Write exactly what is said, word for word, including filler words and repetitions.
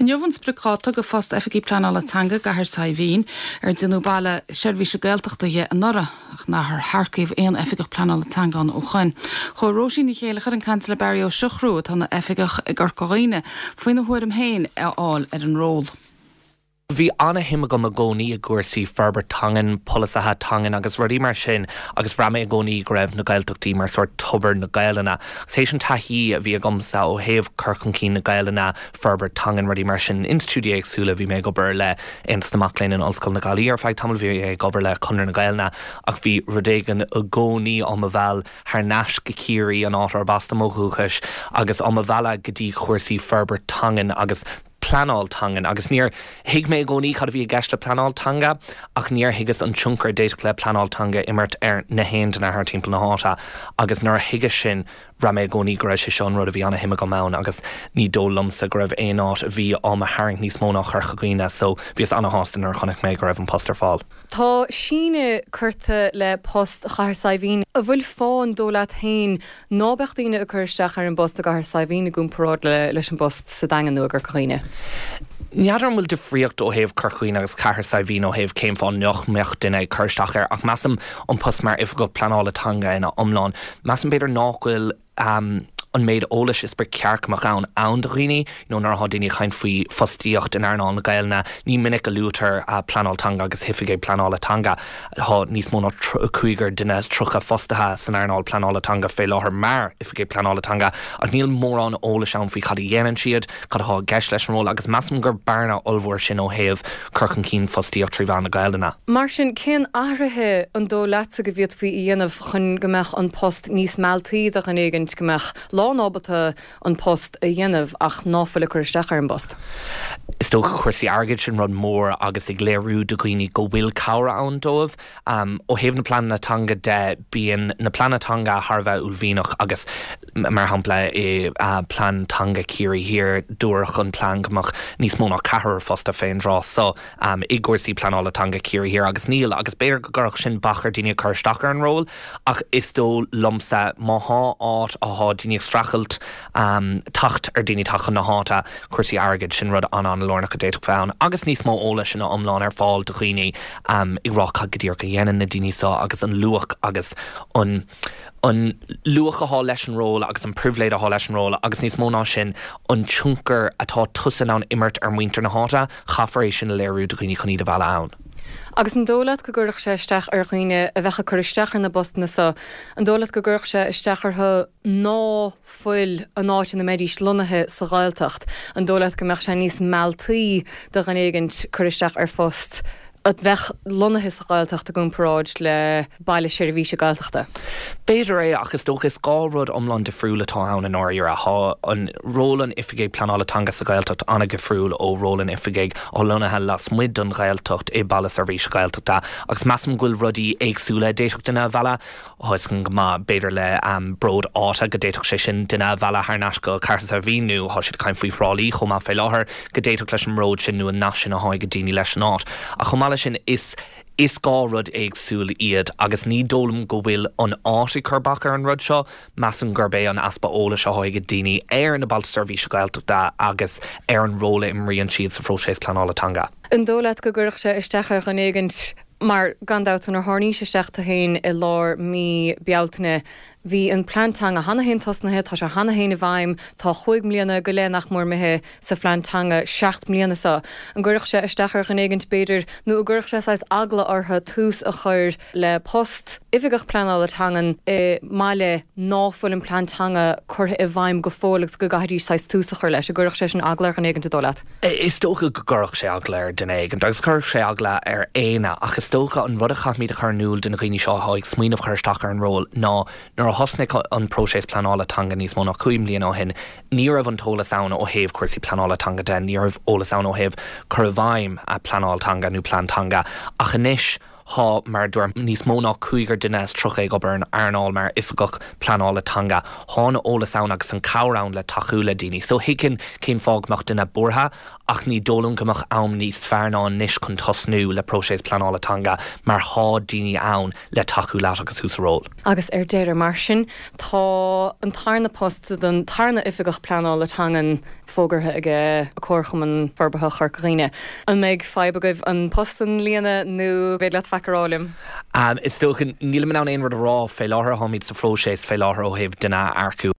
Inniu an spriocdháta do phost Oifigigh Pleanála Teanga i gCathair Saidhbhín ar déanadh baile seirbhíse Gaeltachta dhe anuraidh ach nár earcaíodh aon oifigeach pleanála teanga ann ó shin. Chuaigh Róisín Ní Chéilleachair ag caint le Barry Ó Siochrú atá ina oifigeach i gCorca Dhuibhne faoina thuairim féin a fháil ar an ról. Bhí an-shuim agam i gcónaí i gcúrsaí forbairt teangan, polasaithe teangan agus rudaí mar sin agus bhraith mé i gcónaí go raibh na Gaeltachtaí mar sórt tobar na Gaelainne. Agus théis an taithí a bhí agamsa ó thaobh cur chun cinn na Gaelainne, forbairt teangan rudaí mar sin institiúidí éagsúla bhí mé ag obair le Aontas na Mac Léinn in Ollscoil na Gaillimhe ar feadh tamaill bhí ag obair le Conradh na Gaelainne ach bhí rud éigin i gcónaí á mo mhealladh thar n-ais go Ciarraí an áit arb as dom ó dhúchas agus á mo mhealladh go dtí chúrsaí forbairt teangan agus pleanáil teangan agus níor thuig mé i gcónaí cad a bhí i gceist le pleanáil teanga ach níor thuigeas an tionchar a d'fhéadfadh le pleanáil teanga imirt ar na haon duine thar timpeall na háite agus nuair a thuigeas sin bhraith mé i gcónaí go raibh sé seo an rud a bhí an-shuim agam ann agus ní dóigh liomsa go raibh aon áit a bhí á mo tharraingt níos mó ná Corca Dhuibhne so bhíos an-sásta nuair a chonaic mé go raibh an post ar fáil. Tá síneadh curtha le post Chathair Saidhbhín an bhfuil fáth an dóigh leat féin ná beadh daoine ag cur isteach ar an bpost i gCathair Saidhbhín i gcomparáid le leis an bpost sa Daingean nó i gCorca Dhuibhne. N'fheadar an bhfuil difríocht ó thaobh Corca Dhuibhne agus Cathair Saidhbhín ó thaobh cén fáth nach mbeadh duine ag cur isteach air ach measaim an post mar oifigeach pleanála teanga ina iomlán. Measaim b'fhéidir nach bhfuil um, an méid eolais is ba cheart go mbeadh ann ann do dhaoine, nó nuair atá daoine ag caint faoi fostaíocht in earnáil na Gaelainne, ní minic a luaitear uh, pleanáil teanga agus oifigigh pleanála teanga Tá níos mó ná cúigear duine tríocha fostaithe san earnáil pleanála teanga fé láthair mar oifigigh pleanála teanga ach níl mórán eolais ann faoi cad a dhéanann siad, cad atá i gceist leis an ról agus measaim gur bearna ollmhór sin ó thaobh cur chun cinn fostaíocht trí mheán na Gaelainne. Mar sin cén athruithe an dóigh leatsa go bhféadfaí a dhéanamh chun go mbeadh an post níos mealltaí do dhuine éigin go mbeadh lánábalta an post a dhéanamh ach ná fuil ag cur isteach ar an bpost. Is dócha cúrsaí airgid sin rud mór agus ag léiriú do dhaoine go bhfuil cabhair ann dóibh. Um, ó thaobh na pleananna teanga de bíonn na pleananna teanga thar a bheith uaillmhianach agus mar shampla i uh, plean teanga Chiarraí Thiar dúradh an plean go mbeadh níos mó ná ceathrar fostaithe fén dtráth so um, i gcúrsaí pleanála teanga Chiarraí Thiar agus níl agus b'fhéidir go gcuirfeadh sin bac ar daoine cur isteach ar an ról ach is dóigh liomsa má thá áit atá daoine ag streachailt um, teacht ar daoine teacht chun na háite cúrsaí airgid sin rud an an-lárnach a d'fhéadfadh bheith ann agus níos mó eolais ina iomlán ar fáil do dhaoine um, ag rá cad go díreach a dhéanann na daoine seo agus an luach agus an an luach atá leis an ról agus an pribhléid atá leis an ról agus níos mó ná sin an tionchar atá tusa in ann imirt ar muintir na háite caithfear é sin a léiriú do dhaoine chun iad a mhealladh ann. Agus an dóigh leat go gcuirfeadh sé isteach ar dhaoine a bheadh ag cur isteach ar na postanna seo, an dóigh leat go gcuirfeadh sé isteach orthu ná fuil an áit ina mbeidís lonnaithe sa Ghaeltacht, an dóigh leat go mbeadh sé níos mealltaí do dhuine éigin cur isteach ar phost a bheadh lonnaithe sa Ghaeltacht i gcomparáid le baile seirbhíse Gaeltachta. B'fhéidir é ach is dócha is dhá rud iomlán difriúil atá ann in áirithe Tá an ról an oifigigh pleanála teanga sa Ghaeltacht an-difriúil ó ról an oifigigh atá lonnaithe lasmuigh den Ghaeltacht i baile seirbhíse Gaeltachta agus measaim go bhfuil rudaí éagsúla d'fhéadfadh duine a mhealladh Tá go maith b'fhéidir le um, bród áite go d'fhéadfadh sé sin duine a mhealladh thar n-ais go Cathair Saidhbhín nó tá siad caint faoi Thrá Lí chomh maith fé láthair go d'fhéadfadh leis an mbród sin nó an nasc sin atá ag daoine leis an áit. A chomh maith leis sin is is dhá rud éagsúil iad agus ní dóigh liom go bhfuil an áit ag cur bac ar an rud seo, measaim gurb é an easpa eolais atá ag daoine ar na bailte seirbhíse Gaeltachta agus ar an ról a imríonn siad sa phróiseas pleanála teanga. An dóigh leat go gcuirfeadh sé isteach ar dhuine éigin mar gan dabht nuair a tháinís isteach tú féin i lár mí Bealtaine bhí an plean teanga cheana féin tosnaithe, tá sé cheana féin i bhfeidhm, tá chúig mbliana go leith nach mór imithe sa phlean teanga seacht mbliana seo. An gcuirfeadh sé isteach ar dhuine éigin b'fhéidir nó an gcuirfeadh sé saghas eagla orthu tús a chur le post oifigeach pleanála teangan i mbaile ná fuil an plean teanga curtha i bhfeidhm go fóill agus go gcaithfidís saghas tús a chur leis, an gcuirfeadh sé sin eagla ar dhuine éigin an dóigh leat. Is dócha go gcuirfeadh sé eagla ar dhuine éigin agus chuirfeadh sé eagla ar éinne ach is dócha an rud a chaithfimid a chur in iúl do na daoine seo atá ag smaoineamh chur isteach ar an ról ná nuair a thosnaigh an próiseas pleanála teanga níos mó ná cúig mbliana ó shin, ní raibh an t-eolas ann ó thaobh cúrsaí pleanála teanga de, ní raibh eolas ann ó thaobh cur i bhfeidhm a pleanáil teanga nó plean teanga ach anois Tá mar dúirt níos mó ná cúigear duine is tríocha ag obair an earnáil mar oifigeach pleanála teanga. Tá an t-eolas ann agus an cabhair ann le tacú le daoine. So thuigfinn cén fáth go mbeadh duine buartha ach ní dóigh liom go mbeadh am níos fearr ná anois chun tosnú le próiseas pleanála teanga mar tá daoine ann le tacú leat agus thú sa ról. Agus ar deireadh mar sin tá an tarna post don tarna oifigeach pleanála teangan fógartha aige Comharchumann Forbartha Chorca Dhuibhne. An mbeidh fadhb agaibh an post a líonadh nó féidir leat faic a rá liom? Um, is dócha nílim in ann aon rud a rá fé láthair táimid sa phróiseas fé láthair ó thaobh duine a earcú.